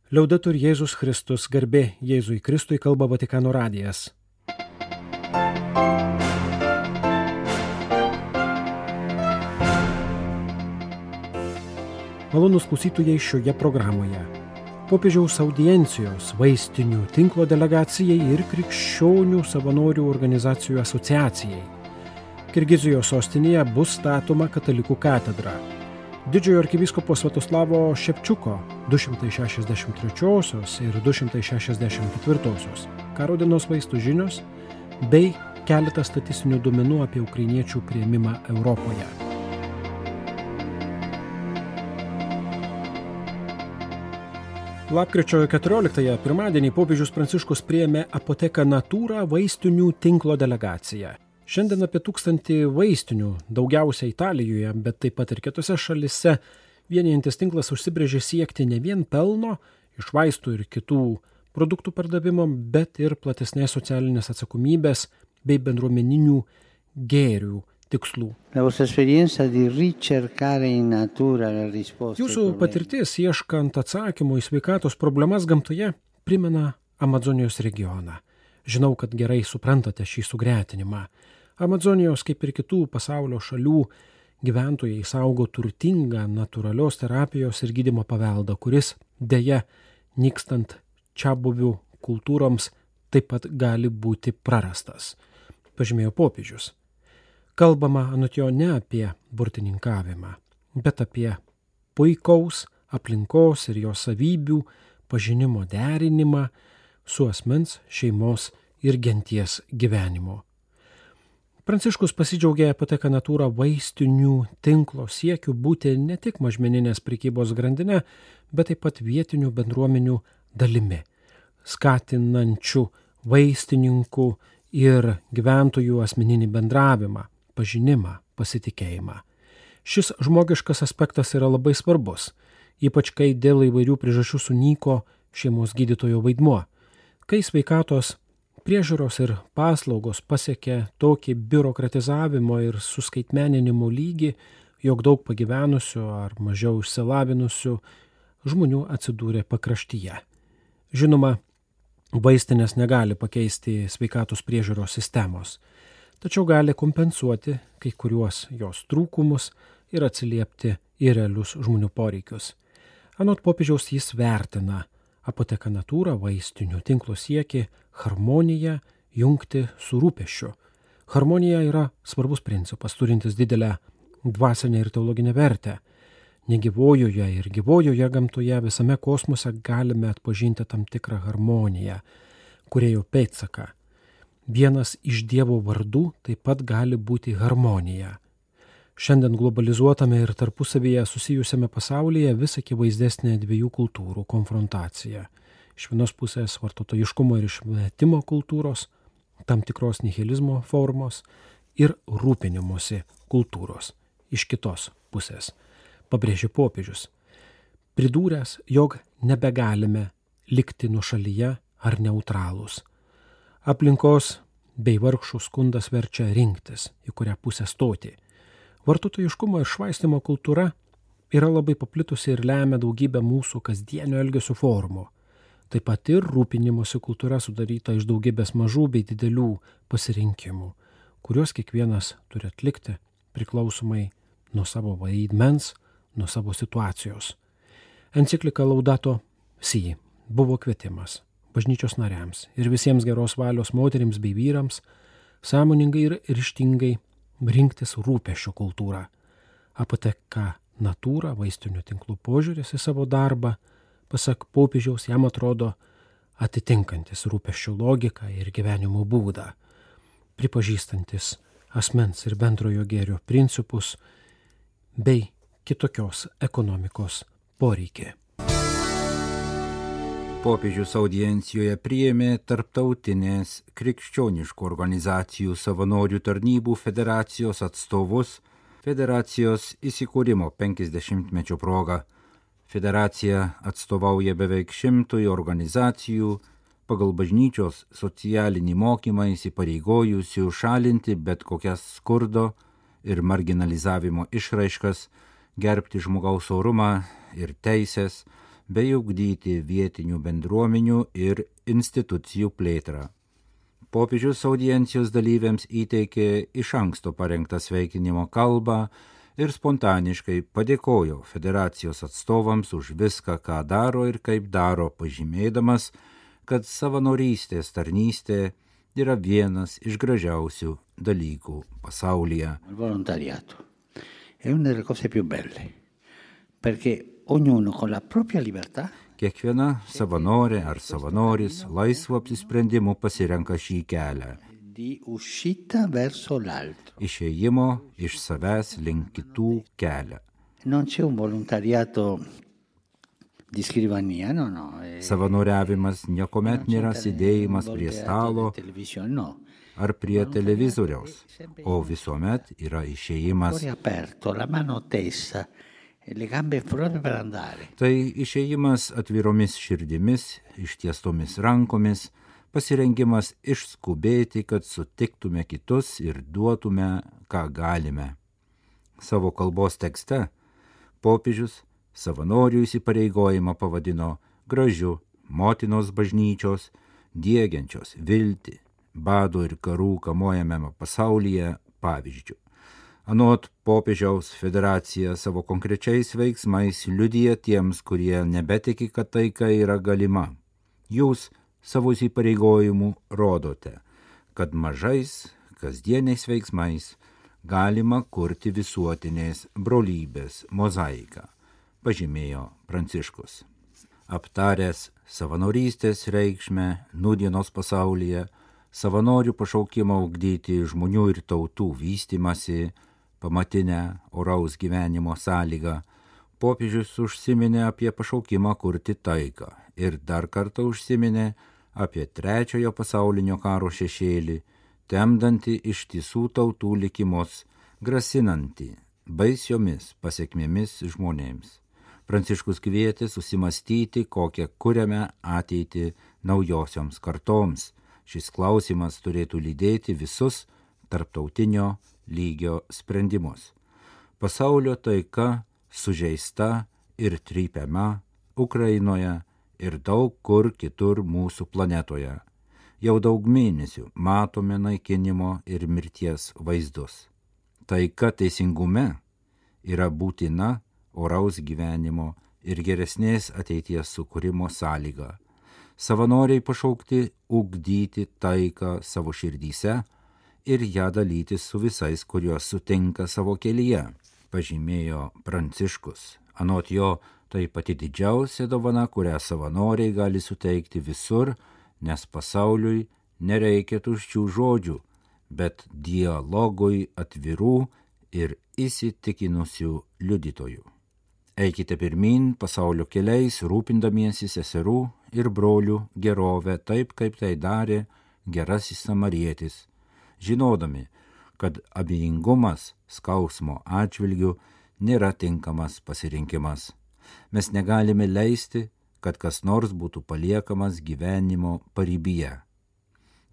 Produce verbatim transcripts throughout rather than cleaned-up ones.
Liaudetur Jėzus Kristus, garbė Jėzui Kristui, kalba Vatikano radijas. Malonūs klausytojai šioje programoje. Popiežiaus audiencijos vaistinių tinklo delegacijai ir krikščionių savanorių organizacijų asociacijai. Kirgizijos sostinėje bus statoma katalikų katedra. Didžiojo arkivyskupo Svatoslavo Šepčiuko du šimtai šešiasdešimt trečiosios ir du šimtai šešiasdešimt ketvirtosios karo dienos vaistų žinios bei keletas statistinių duomenų apie ukrainiečių priėmimą Europoje. Lapkričio keturioliktąją pirmadienį popiežius Pranciškus priėmė Apotheka Natura vaistinių tinklo delegaciją. Šiandien apie tūkstantį vaistinių, daugiausia Italijoje, bet taip pat ir kitose šalise, vienijantis tinklas užsibrėžė siekti ne vien pelno iš vaistų ir kitų produktų pardavimo, bet ir platesnės socialinės atsakomybės bei bendruomeninių gėrių tikslų. Jūsų patirtis ieškant atsakymų į sveikatos problemas gamtoje primena Amazonijos regioną. Žinau, kad gerai suprantate šį sugretinimą. Amazonijos, kaip ir kitų pasaulio šalių, gyventojai saugo turtingą natūralios terapijos ir gydymo paveldą, kuris deja, nykstant čiabuvių kultūroms, taip pat gali būti prarastas, pažymėjo popiežius. Kalbama anot jo ne apie burtininkavimą, bet apie puikaus aplinkos ir jos savybių pažinimo derinimą su asmens, šeimos ir genties gyvenimu. Pranciškus pasidžiaugė Apotheka Natura vaistinių tinklo siekiu būti ne tik mažmeninės prekybos grandinė, bet taip pat vietinių bendruomenių dalimi, skatinančių vaistininkų ir gyventojų asmeninį bendravimą, pažinimą, pasitikėjimą. Šis žmogiškas aspektas yra labai svarbus, ypač kai dėl įvairių priežasčių sunyko šeimos gydytojo vaidmuo. Kai sveikatos priežiūros ir paslaugos pasiekė tokį biurokratizavimo ir suskaitmeninimo lygį, jog daug pagyvenusių ar mažiau išsilavinusių žmonių atsidūrė pakraštyje. Žinoma, vaistinės negali pakeisti sveikatos priežiūros sistemos, tačiau gali kompensuoti kai kuriuos jos trūkumus ir atsiliepti į realius žmonių poreikius. Anot popiežiaus jis vertina Apotheka Natura vaistinių tinklo siekį harmoniją jungti su rūpesčiu. Harmonija yra svarbus principas, turintis didelę dvasinę ir teologinę vertę. Negyvojoje ir gyvojoje gamtoje visame kosmose galime atpažinti tam tikrą harmoniją, kūrėjo pėdsaką. Vienas iš Dievo vardų taip pat gali būti harmonija. Šiandien globalizuotame ir tarpusavyje susijusiame pasaulyje vis akivaizdesnė dviejų kultūrų konfrontacija. Iš vienos pusės vartotojiškumo ir išmetimo kultūros, tam tikros nihilizmo formos ir rūpinimosi kultūros. Iš kitos pusės, pabrėžė popiežius, pridūręs, jog nebegalime likti nuošalyje ar neutralūs. Aplinkos bei vargšų skundas verčia rinktis, į kurią pusę stoti. Vartotojiškumo ir švaistimo kultūra yra labai paplitusi ir lemia daugybę mūsų kasdienio elgesio formų. Taip pat ir rūpinimosi kultūra sudaryta iš daugybės mažų bei didelių pasirinkimų, kuriuos kiekvienas turi atlikti priklausomai nuo savo vaidmens, nuo savo situacijos. Enciklika Laudato Si buvo kvietimas bažnyčios nariams ir visiems geros valios moterims bei vyrams sąmoningai ir ryžtingai rinktis rūpesčio kultūrą. Apotheka Natura vaistinių tinklų požiūris į savo darbą, pasak popiežiaus, jam atrodo atitinkantis rūpesčio logiką ir gyvenimo būdą, pripažįstantis asmens ir bendrojo gėrio principus bei kitokios ekonomikos poreikį. Popiežius audiencijoje priėmė Tarptautinės krikščioniškų organizacijų savanorių tarnybų federacijos atstovus federacijos įsikūrimo penkiasdešimtmečio proga. Federacija atstovauja beveik šimtui organizacijų pagal bažnyčios socialinį mokymą įsipareigojusių šalinti bet kokias skurdo ir marginalizavimo išraiškas, gerbti žmogaus orumą ir teisės, bei ugdyti vietinių bendruomenių ir institucijų plėtrą. Popiežius audiencijos dalyviams įteikė iš anksto parengtą sveikinimo kalbą ir spontaniškai padėkojo federacijos atstovams už viską, ką daro ir kaip daro, pažymėdamas, kad savanorystės tarnystė yra vienas iš gražiausių dalykų pasaulyje. Il volontariato è una delle cose più belle, perché ognuno con la propria libertà. Kiekviena savanorė ar savanoris laisvu apsisprendimu pasirenka šį kelią. Di uscita verso l'altro. Išėjimo iš savęs link kitų kelią. Non c'è un volontariato di scrivania, no, no. Savanoriavimas niekuomet nėra sėdėjimas prie stalo ar prie televizoriaus, o visuomet yra išėjimas. Tai išėjimas atviromis širdimis, ištiestomis rankomis, pasirengimas išskubėti, kad sutiktume kitus ir duotume, ką galime. Savo kalbos tekste popiežius savanorių įsipareigojimą pavadino gražiu motinos bažnyčios, diegiančios viltį, bado ir karų kamuojamame pasaulyje pavyzdžių. Anot popiežiaus federacija savo konkrečiais veiksmais liudija tiems, kurie nebetiki, kad taika yra galima. Jūs savo įsipareigojimų rodote, kad mažais, kasdieniais veiksmais galima kurti visuotinės brolybės mozaiką, pažymėjo Pranciškus. Aptaręs savanorystės reikšmę nūdienos pasaulyje, savanorių pašaukimą ugdyti žmonių ir tautų vystymasi, pamatinę oraus gyvenimo sąlygą, popiežius užsiminė apie pašaukimą kurti taiką ir dar kartą užsiminė apie trečiojo pasaulinio karo šešėlį, temdantį ištisų tautų likimus, grasinantį baisiomis pasekmėmis žmonėms. Pranciškus kvietė susimastyti, kokią kuriame ateitį naujosioms kartoms. Šis klausimas turėtų lydėti visus tarptautinio lygio sprendimus. Pasaulio taika sužeista ir trypiama Ukrainoje ir daug kur kitur mūsų planetoje. Jau daug mėnesių matome naikinimo ir mirties vaizdus. Taika teisingume yra būtina oraus gyvenimo ir geresnės ateities sukūrimo sąlyga. Savanoriai pašaukti ugdyti taiką savo širdyse ir ją dalytis su visais, kuriuos sutinka savo kelyje, pažymėjo Pranciškus. Anot jo, tai pati didžiausia dovana, kurią savanoriai gali suteikti visur, nes pasauliui nereikia tuščių žodžių, bet dialogui atvirų ir įsitikinusių liudytojų. Eikite pirmin pasaulio keliais, rūpindamiesi seserų ir brolių gerovę, taip kaip tai darė gerasis samarietis, žinodami, kad abejingumas skausmo atžvilgių nėra tinkamas pasirinkimas. Mes negalime leisti, kad kas nors būtų paliekamas gyvenimo paribyje.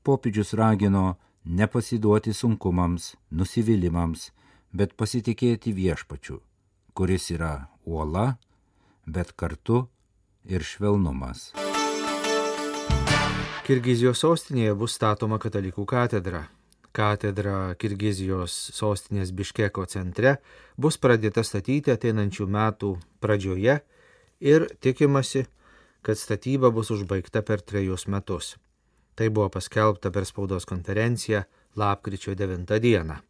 Popiežius ragino nepasiduoti sunkumams, nusivylimams, bet pasitikėti viešpačiu, kuris yra uola, bet kartu ir švelnumas. Kirgizijos sostinėje bus statoma katalikų katedra. Katedra Kirgizijos sostinės Biškeko centre bus pradėta statyti ateinančių metų pradžioje ir tikimasi, kad statyba bus užbaigta per trejus metus. Tai buvo paskelbta per spaudos konferenciją lapkričio devintą dieną.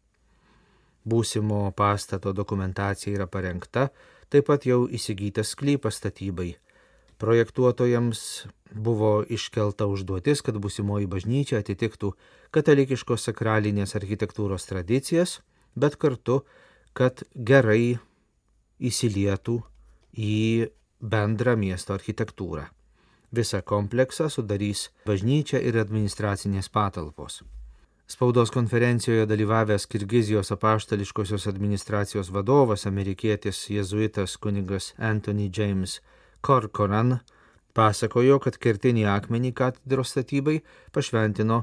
Būsimo pastato dokumentacija yra parengta, taip pat jau įsigytas sklypas statybai. Projektuotojams buvo iškelta užduotis, kad būsimoji bažnyčia atitiktų katalikiškos sakralinės architektūros tradicijas, bet kartu, kad gerai įsilietų į bendrą miesto architektūrą. Visą kompleksą sudarys bažnyčia ir administracinės patalpos. Spaudos konferencijoje dalyvavęs Kirgizijos apaštališkosios administracijos vadovas, amerikietis jėzuitas kunigas Anthony James Corcoran, pasakojo, kad kertinį akmenį katedros statybai pašventino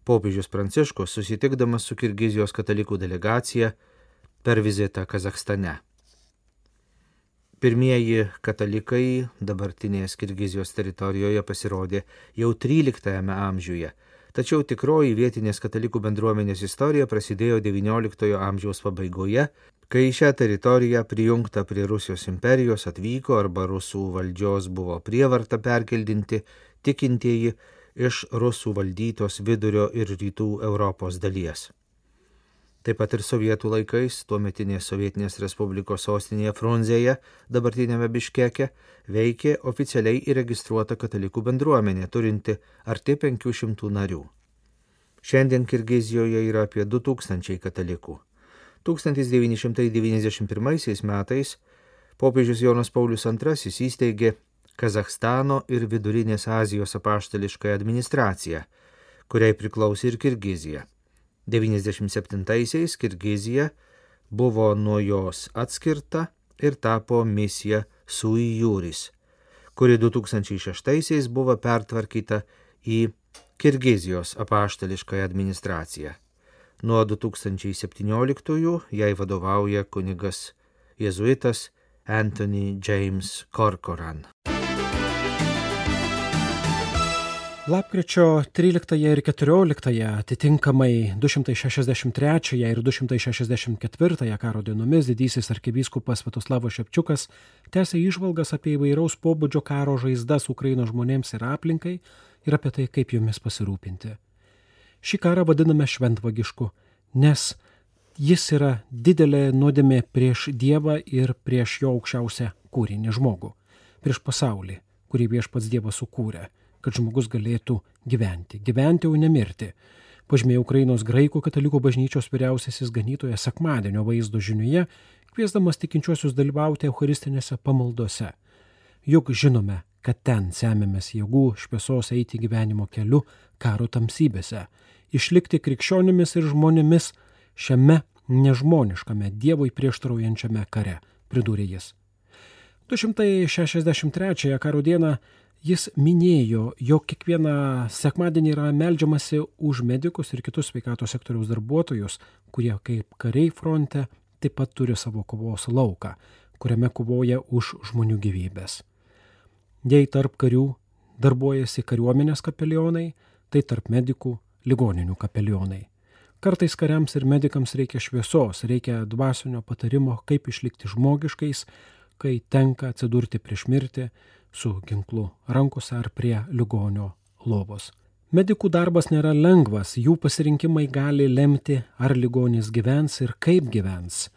popiežius Pranciškus, susitikdamas su Kirgizijos katalikų delegacija per vizitą Kazachstane. Pirmieji katalikai dabartinės Kirgizijos teritorijoje pasirodė jau tryliktajame amžiuje, tačiau tikroji vietinės katalikų bendruomenės istorija prasidėjo devynioliktojo amžiaus pabaigoje, kai į šią teritoriją prijungta prie Rusijos imperijos atvyko arba rusų valdžios buvo prievarta perkeldinti tikintieji iš rusų valdytos vidurio ir rytų Europos dalies. Taip pat ir sovietų laikais, tuometinės Sovietinės Respublikos sostinėje Frunzėje, dabartinėme Biškeke, veikė oficialiai įregistruota katalikų bendruomenė, turinti arti penkių šimtų narių. Šiandien Kirgizijoje yra apie du tūkstančiai katalikų. tūkstantis devyni šimtai devyniasdešimt pirmaisiais metais popiežius Jonas Paulius antrasis įsteigė Kazachstano ir Vidurinės Azijos apaštališkąją administraciją, kuriai priklausė ir Kirgizija. devyniasdešimt septintaisiais Kirgizija buvo nuo jos atskirta ir tapo misija sui juris, kuri du tūkstančiai šeštaisiais buvo pertvarkyta į Kirgizijos apaštališkąją administraciją. Nuo du tūkstančiai septynioliktųjų jai vadovauja kunigas jėzuitas Anthony James Corcoran. Lapkričio tryliktąją ir keturioliktąją, atitinkamai du šimtai šešiasdešimt trečiąją ir du šimtai šešiasdešimt ketvirtąją karo dienomis didysis arkivyskupas Sviatoslavas Šepčiukas tęsė įžvalgas apie įvairaus pobūdžio karo žaizdas Ukrainos žmonėms ir aplinkai ir apie tai, kaip jomis pasirūpinti. Šį karą vadiname šventvagišku, nes jis yra didelė nuodėmė prieš Dievą ir prieš jo aukščiausią kūrinį žmogų, prieš pasaulį, kurį viešpats Dievas sukūrė, kad žmogus galėtų gyventi, gyventi, o ne mirti. Pažymėjo Ukrainos graikų katalikų bažnyčios vyriausiasis ganytojas sekmadienio vaizdo žinioje, kviesdamas tikinčiuosius dalyvauti eucharistinėse pamaldose. Juk žinome, kad ten semėmės jėgų šviesos eiti gyvenimo keliu karo tamsybėse, išlikti krikščionimis ir žmonėmis šiame nežmoniškame Dievui prieštaraujančiame kare, pridūrė jis. du šimtai šešiasdešimt trečiąją karo dieną jis minėjo, jog kiekvieną sekmadienį yra meldžiamasi už medikus ir kitus sveikatos sektoriaus darbuotojus, kurie kaip kariai fronte taip pat turi savo kovos lauką, kuriame kovoja už žmonių gyvybės. Jei tarp karių darbuojasi kariuomenės kapelionai, tai tarp medikų ligoninių kapelionai. Kartais kariams ir medikams reikia šviesos, reikia dvasinio patarimo, kaip išlikti žmogiškais, kai tenka atsidurti prieš mirtį su ginklu rankose ar prie ligonio lovos. Medikų darbas nėra lengvas, jų pasirinkimai gali lemti, ar ligonis gyvens ir kaip gyvens.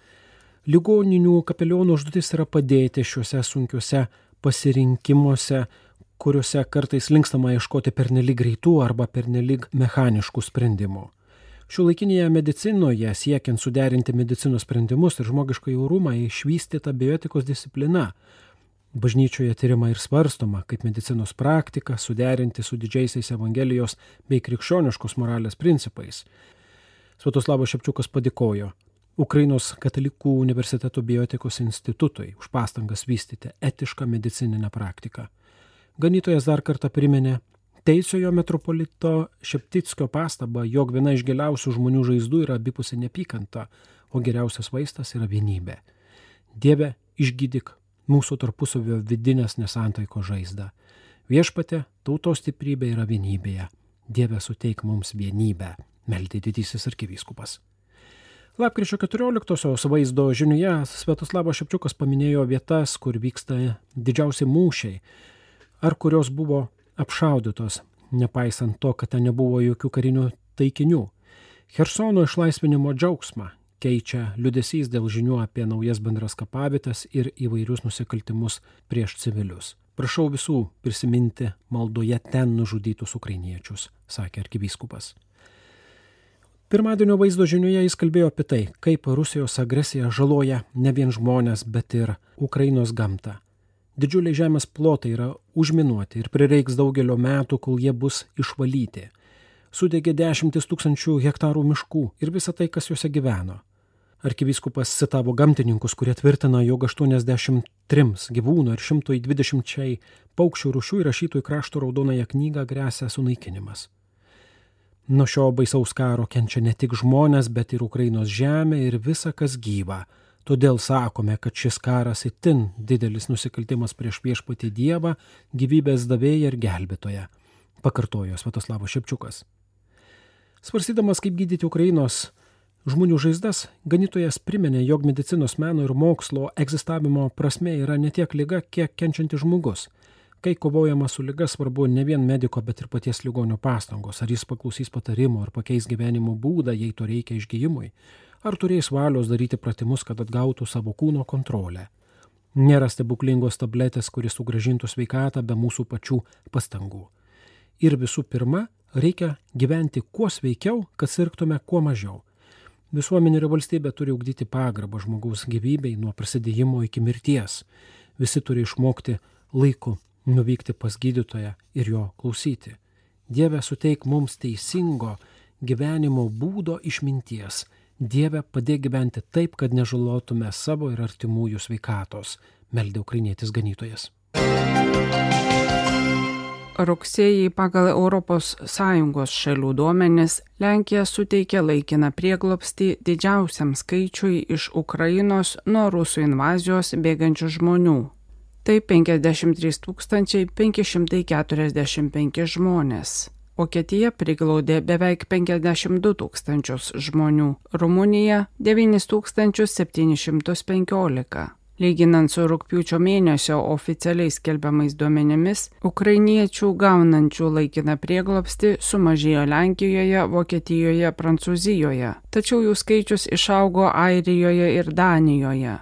Ligoninių kapelionų užduotis yra padėti šiuose sunkiuose pasirinkimuose, kuriuose kartais linkstama ieškoti pernelyg greitų arba pernelyg mechaniškų sprendimų. Šiuolaikinėje medicinoje, siekiant suderinti medicinos sprendimus ir žmogišką orumą, išvystyta bioetikos disciplina. Bažnyčioje tyrima ir svarstoma, kaip medicinos praktika suderinti su didžiaisiais Evangelijos bei krikščioniškos moralės principais. Sviatoslavas Šepčiukas padėkojo Ukrainos katalikų universiteto bioetikos institutui už pastangas vystyti etišką medicininę praktiką. Ganytojas dar kartą priminė teisiojo metropolito Šeptickio pastabą, jog viena iš giliausių žmonių žaizdų yra abipusė neapykanta, o geriausias vaistas yra vienybė. Dieve, išgydyk mūsų tarpusavio vidinės nesantaikos žaizdą. Viešpatie, tautos stiprybė yra vienybėje. Dieve, suteik mums vienybę, meldė didysis arkivyskupas. Lapkričio keturioliktosios vaizdo žinioje Sviatoslavas Šepčiukas paminėjo vietas, kur vyksta didžiausi mūšiai, ar kurios buvo apšaudytos, nepaisant to, kad ten nebuvo jokių karinių taikinių. Chersono išlaisvinimo džiaugsmą keičia liūdesys dėl žinių apie naujas bendras kapavietes ir įvairius nusikaltimus prieš civilius. Prašau visų prisiminti maldoje ten nužudytus ukrainiečius, sakė arkivyskupas. Pirmadienio vaizdo žinioje jis kalbėjo apie tai, kaip Rusijos agresija žaloja ne vien žmonės, bet ir Ukrainos gamtą. Didžiuliai žemės plotai yra užminuoti ir prireiks daugelio metų, kol jie bus išvalyti. Sudegė dešimtis tūkstančių hektarų miškų ir visa tai, kas juose gyveno. Arkivyskupas citavo gamtininkus, kurie tvirtina, jog aštuoniasdešimt trims gyvūnų ir šimtui dvidešimčiai paukščių rūšių įrašytų į krašto raudonąją knygą gresia sunaikinimas. Nuo šio baisaus karo kenčia ne tik žmonės, bet ir Ukrainos žemė ir visa, kas gyva, Todėl sakome, kad šis karas itin didelis nusikaltimas prieš viešpatį Dievą, gyvybės davėją ir gelbėtoją, pakartojo Sviatoslavas Šepčiukas. Svarstydamas, kaip gydyti Ukrainos žmonių žaizdas, ganytojas priminė, jog medicinos meno ir mokslo egzistavimo prasme yra ne tiek liga, kiek kenčiantis žmogus. Kai kovojama su liga, svarbu ne vien mediko, bet ir paties ligonio pastangos, ar jis paklausys patarimo, ar pakeis gyvenimo būdą, jei to reikia išgijimui, ar turės valios daryti pratimus, kad atgautų savo kūno kontrolę. Nėra stebuklingos tabletės, kuris sugrąžintų sveikatą be mūsų pačių pastangų. Ir visų pirma, reikia gyventi kuo sveikiau, kad sirgtume kuo mažiau. Visuomenė ir valstybė turi ugdyti pagarbą žmogaus gyvybei nuo prasidėjimo iki mirties. Visi turi išmokti laiku nuvykti pas gydytoją ir jo klausyti. Dieve, suteik mums teisingo gyvenimo būdo išminties. Dieve, padėk gyventi taip, kad nežalotume savo ir artimųjų sveikatos, meldė ukrainietis ganytojas. Rugsėjį pagal Europos Sąjungos šalių duomenis Lenkija suteikė laikiną prieglobstį didžiausiam skaičiui iš Ukrainos nuo rusų invazijos bėgančių žmonių. Tai penkiasdešimt trys tūkstančiai penki šimtai keturiasdešimt penki žmonės. Vokietija priglaudė beveik penkiasdešimt du tūkstančius žmonių, Rumunija devynis tūkstančius septynis šimtus penkiolika. Lyginant su rugpjūčio mėnesio oficialiais skelbiamais duomenimis, ukrainiečių gaunančių laikiną prieglobstį sumažėjo Lenkijoje, Vokietijoje, Prancūzijoje, tačiau jų skaičius išaugo Airijoje ir Danijoje.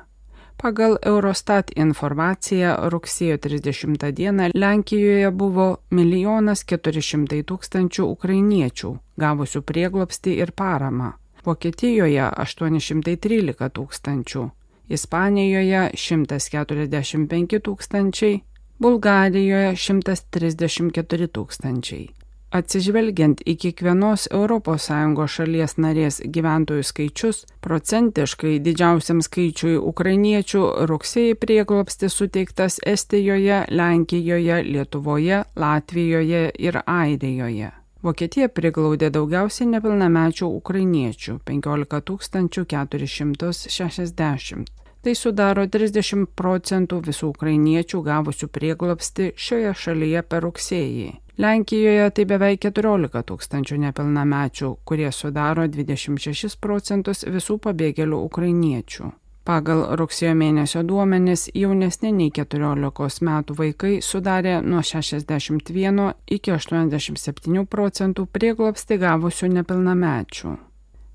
Pagal Eurostat informaciją rugsėjo trisdešimtą dieną Lenkijoje buvo milijonas keturi šimtai tūkstančių ukrainiečių, gavusių prieglobstį ir paramą. Vokietijoje aštuoni šimtai trylika tūkstančių. Ispanijoje šimtas keturiasdešimt penki tūkstančiai, Bulgarijoje šimtas trisdešimt keturi tūkstančiai. Atsižvelgiant į kiekvienos Europos Sąjungos šalies narės gyventojų skaičius, procentiškai didžiausiam skaičiui ukrainiečių rugsėjį prieglobstis suteiktas Estijoje, Lenkijoje, Lietuvoje, Latvijoje ir Airijoje. Vokietija priglaudė daugiausiai nepilnamečių ukrainiečių – penkiolika tūkstančių keturis šimtus šešiasdešimt. Tai sudaro trisdešimt procentų visų ukrainiečių gavusių prieglobstį šioje šalyje per rugsėjį. Lenkijoje tai beveik keturiolika tūkstančių nepilnamečių, kurie sudaro dvidešimt šešis procentus visų pabėgėlių ukrainiečių. Pagal rugsėjo mėnesio duomenis jaunesni nei keturiolikos metų vaikai sudarė nuo šešiasdešimt vieno iki aštuoniasdešimt septynių procentų prieglobstį gavusių nepilnamečių.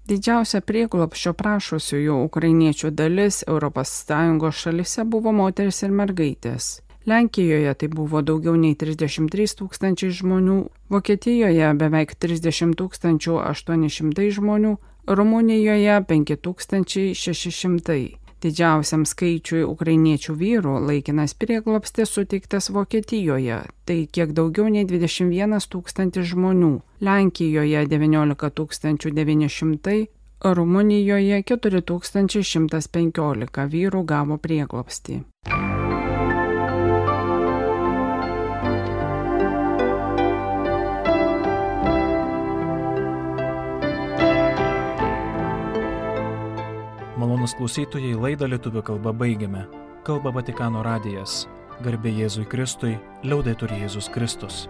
Didžiausia prieglobsčio prašusiųjų ukrainiečių dalis Europos Sąjungos šalise buvo moteris ir mergaitės. Lenkijoje tai buvo daugiau nei trisdešimt trys tūkstančiai žmonių, Vokietijoje beveik trisdešimt tūkstančių aštuoni šimtai žmonių, Rumunijoje penki tūkstančiai šeši šimtai. Didžiausiam skaičiui ukrainiečių vyrų laikinas prieglobstis suteiktas Vokietijoje, tai kiek daugiau nei dvidešimt vienas tūkstantis žmonių, Lenkijoje devyniolika tūkstančių devyni šimtai, Rumunijoje keturi tūkstančiai šimtas penkiolika vyrų gavo prieglobstį. Malonūs klausytojai, laidą lietuvių kalba baigiame. Kalba Vatikano radijas. Garbė Jėzui Kristui, liaudetur Jėzus Kristus.